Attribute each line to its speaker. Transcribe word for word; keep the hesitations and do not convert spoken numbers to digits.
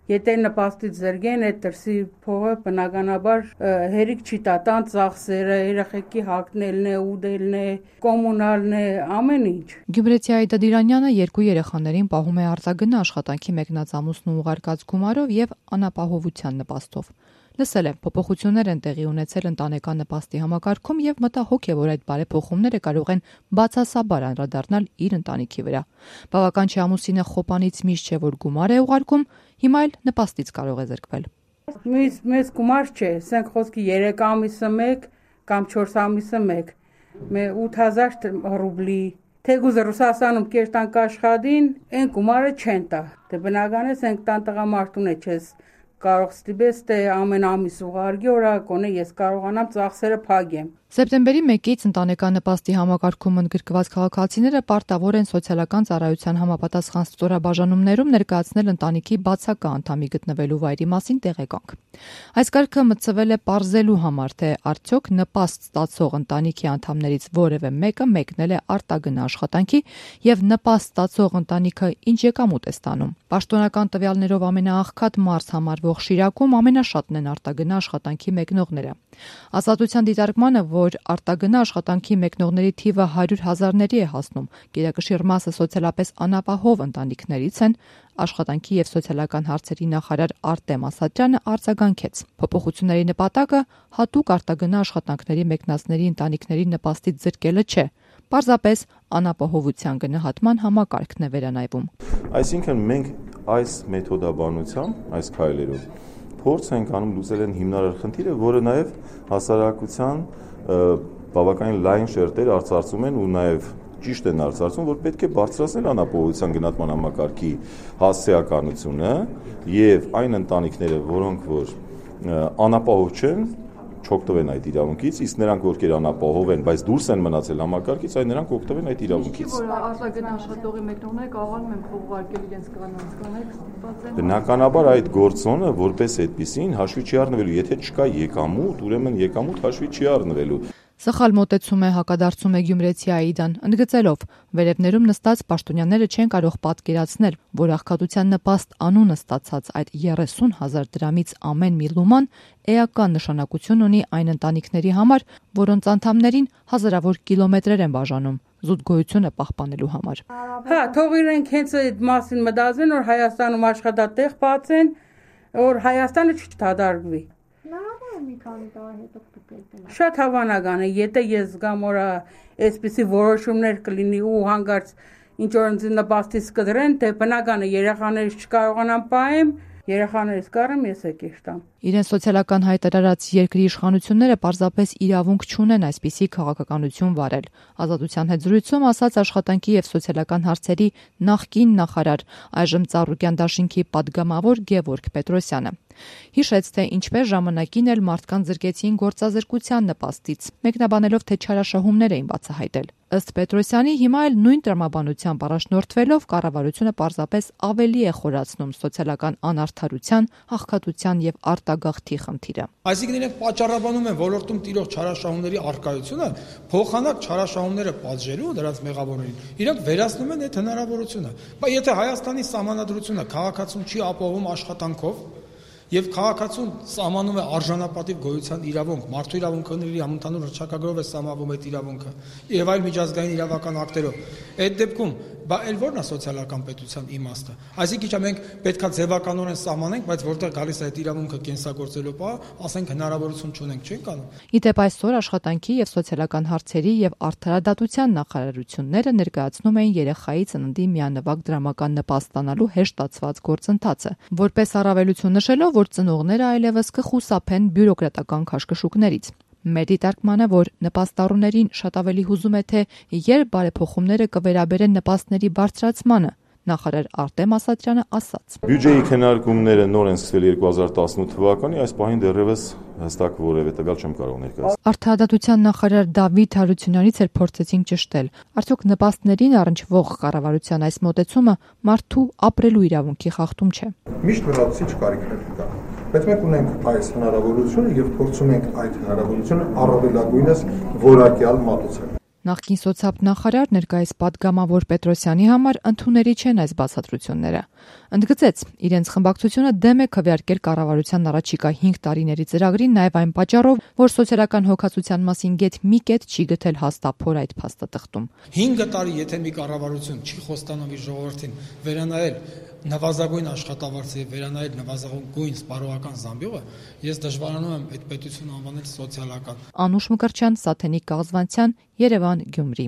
Speaker 1: Եթե նպաստից զրկեն այդ դրսի փողը բնականաբար հերիք չի տա տան ծախսերը, երեխեքի հագնելն է, ուտելն է, կոմունալն է, ամեն ինչ։
Speaker 2: Գյումրեցի Այդա Դիրանյանը երկու երեխաներին պահում է արձագնա աշխատանքի մեկնած ամուսնու ուղարկած գումարով եւ անապահովության նպաստով։ Լսել է, փոփոխություններ են տեղի ունեցել ընտանեկան նպաստի համակարգում եւ մտահոգ է, որ այդ բարեփոխումները կարող են բացասաբար անդրադառնալ իր ընտանիքի վրա։ Բավական չէ ամուսինը խոպանից միշտ չէ, որ գումար է ուղարկում, հիմա էլ նպաստից կարող է զրկվել։
Speaker 1: Մեզ մեզ գումար չէ, ասենք խոսքի երեք ամիսը մեկ կամ չորս ամիսը մեկ, մե ութ հազար ռուբլի, թեկուզ Ռուսաստանում կերտան կաշխատին, այն գումարը չեն տա։ Դե բնական է, ասենք տան տղամարդուն է չես կարող ստիպես թե ամեն ամիս ուղարկի, օրակոնը ես կարողանամ ծախսերը փակեմ։
Speaker 2: Սեպտեմբերի մեկից ընտանեկան նպաստի համակարգում ընդգրկված քաղաքացիները պարտավոր են սոցիալական ծառայության համապատասխան ստորաբաժանումներում ներկայացնել ընտանիքի բացակա անդամի գտնվելու վայրի մասին տեղեկանք։ Այս կարգը մտցվել է պարզելու համար, թե արդյոք նպաստ ստացող ընտանիքի անդամներից որևէ մեկը մեկնել է արտագնա աշխատանքի եւ նպաստ ստացող ընտանիքը ինչ եկամուտ է ստանում։ Պաշտոնական տվյալներով ամենաաղքատ մարզ համարվող Շիրակում ամենաշատն են արտագնա աշխատանքի մեկնողները։ Ազատության դիտարկմանը, որ արտագնա աշխատանքի մեկնողների թիվը հարյուր հազարների է հասնում, գերակշիռ մասը սոցիալապես անապահով ընտանիքներից են, աշխատանքի եւ սոցիալական հարցերի նախարար Արտեմ Ասատրյանը արձագանքեց։ Փոփոխությունների նպատակը հատուկ արտագնա աշխատանքների մեկնածների ընտանիքների նպաստից զրկելը չէ, պարզապես անապահովության գնահատման համակարգն է վերանայվում։
Speaker 3: Այսինքն մենք այս մեթոդաբանությամբ, այս քայլերով փորձ ենք անում լուծել են հիմնարար խնդիրը, որը նաև հասարակության բավականին լայն շերտեր արծարծում են ու նաև ճիշտ են արծարծում, որ պետք է բարձրացնել անապահովության գնահատման համակարգի հասարակականությունը եւ այն ընտանիքները, որոնք որ անապահով չեն, չօգտվեն այդ իրավունքից, իսկ նրանք ովքեր անապահով են, բայց դուրս են մնացել համակարգից, այն նրանք օգտվեն այդ իրավունքից։
Speaker 2: Որ արտագնա աշխատողի մեկնողները կարողանում են փող ուղարկել իրենց կանանց կանեք ստիպված են։
Speaker 3: Բնականաբար այդ գործոնը որպես այդպեսին հաշվի չի առնվելու, եթե չկա եկամուտ, ուրեմն եկամուտ հաշվի չի առնվելու։
Speaker 2: Սխալ մոտեցում է հակադարձում է Գյումրեցի Այդան, ընդգծելով, վերևներում նստած պաշտոնյաները չեն կարող պատկերացնել, որ աղքատության նպաստ անունը ստացած այդ երեսուն հազար դրամից ամեն մի լուման էական նշանակություն ունի այն ընտանիքների համար, որոնց անդամներին հազարավոր կիլոմետրեր են բաժանում զուտ գոյությունը պահպանելու համար։
Speaker 1: Հա, թող իրենք հենց այդ մասին մտածեն, որ Հայաստանում աշխատատեղ բացեն, որ Հայաստանը չդադարվի։
Speaker 4: Մի քանի տարի հետո կգտնեն։
Speaker 1: Շատ հավանական է, եթե ես զգամ, որ այսպիսի որոշումներ կլինի ու հանգարց ինչ որ ինձ նպաստից կդրեն, թե բնական է երեխաներից չկարողանամ պահեմ, երեխաներից կարեմ ես է կերտամ։
Speaker 2: Իրեն սոցիալական հայտարարած երկրի իշխանությունները պարզապես իրավունք չունեն այսպիսի քաղաքականություն վարել։ Ազատության հետ զրույցում ասաց աշխատանքի եւ սոցիալական հարցերի նախկին նախարար, այժմ Ծառուկյան դաշինքի падգամավոր Գևորգ Պետրոսյանը։ Հիշեց, թե ինչպես ժամանակին էլ մարդկանց զրկեցին գործազրկության նպաստից, մեկնաբանելով, թե չարաշահումներ էին բացահայտել։ Ըստ Պետրոսյանի, հիմա էլ նույն տրամաբանությամբ առաջնորդվելով կառավարությունը պարզապես ավելի է խորացնում սոցիալական անարդարության, աղքատության եւ արտագաղթի խնդիրը։
Speaker 5: Այսինքն իրենք պատճառաբանում են ոլորտում տիրող չարաշահումների առկայությունը, փոխանակ չարաշահումները պատժելու դրանց մեղավորներին, իրենք վերացնում են այդ հնարավորությունը։ Բայց եթե Հայաստանի սահմանադրությունը քաղաքացուն չի ապահովում աշխատանքով, եւ քաղաքացուն սահմանում է արժանապատիվ գոյության իրավունք, մարդու իրավունքների համընդհանուր հռչակագրով է սահմանվում այդ իրավունքը եւ այլ միջազգային իրավական ակտերով։ Այդ դեպքում բա էլ ո՞րն է սոցիալական պետության իմաստը։ Այսինքն իհա մենք պետքա ձևականորեն սահմանենք, բայց որտեղ գալիս է այդ իրավունքը կենսագործելու պահ, ասենք հնարավորություն չունենք, չենք անում։
Speaker 2: Իդեպ այսօր աշխատանքի եւ սոցիալական հարցերի եւ արդարադատության նախարարությունները ներկայացնում էին երեխայի ծննդի միանվագ դրամական նպաստ ստանալու հեշտացված գործընթացը, որպես առավելություն նշելով, որ ծնողները այլևս կխուսափեն բյուրոկրատական քաշքշուկներից։ Մեր դիտարկմանը, որ նպաստառուներին շատ ավելի հուզում է, թե երբ բարեփոխումները կվերաբերեն նպաստների բարձրացմանը, նախարար Արտեմ Ասատրյանը ասաց.
Speaker 3: Բյուջեի քննարկումները նոր են սկսվել երկու հազար տասնութ թվականի, այս պահին դեռևս հստակ որևէ տվյալ չեմ կարող ներկայացնել։
Speaker 2: Արդարադատության նախարար Դավիթ Հարությունյանից էլ փորձեցինք ճշտել. արդյոք նպաստներին առնչվող կառավարության այս մոտեցումը մարդու ապրելու իրավունքի խախտում չէ։
Speaker 6: Միշտ լրացուցիչ կարիքներ կա, բայց մենք ունենք այս հնարավորությունը եւ փորձում ենք այդ հնարավորությունը առավելագույնս որակյալ մատուցել։
Speaker 2: Նախկին սոցիալ նախարար ներկայիս падգամավոր Պետրոսյանի համար ընդունելի չեն այս բացատրությունները։ Ընդգծեց, իրենց խմբակցությունը դեմ է քվեարկել կառավարության առաջիկա հինգ տարիների ծրագրին նաև այն պատճառով, որ սոցիալական հոգացության մասին գեթ մի կետ չի գտել հաստափոր այդ փաստաթղթում։
Speaker 5: հինգ տարի եթե մի կառավարություն չի խոստանում իր ժողովրդին վերանայել նվազագույն աշխատավարձը եւ վերանայել նվազագույն սպառողական զամբյուղը, ես դժվարանում եմ այդ պետությունը անվանել սոցիալական։
Speaker 2: Անուշ Մկրտչյան, Սաթենիկ Կաղզվանցյան, Երևան, Գյումրի։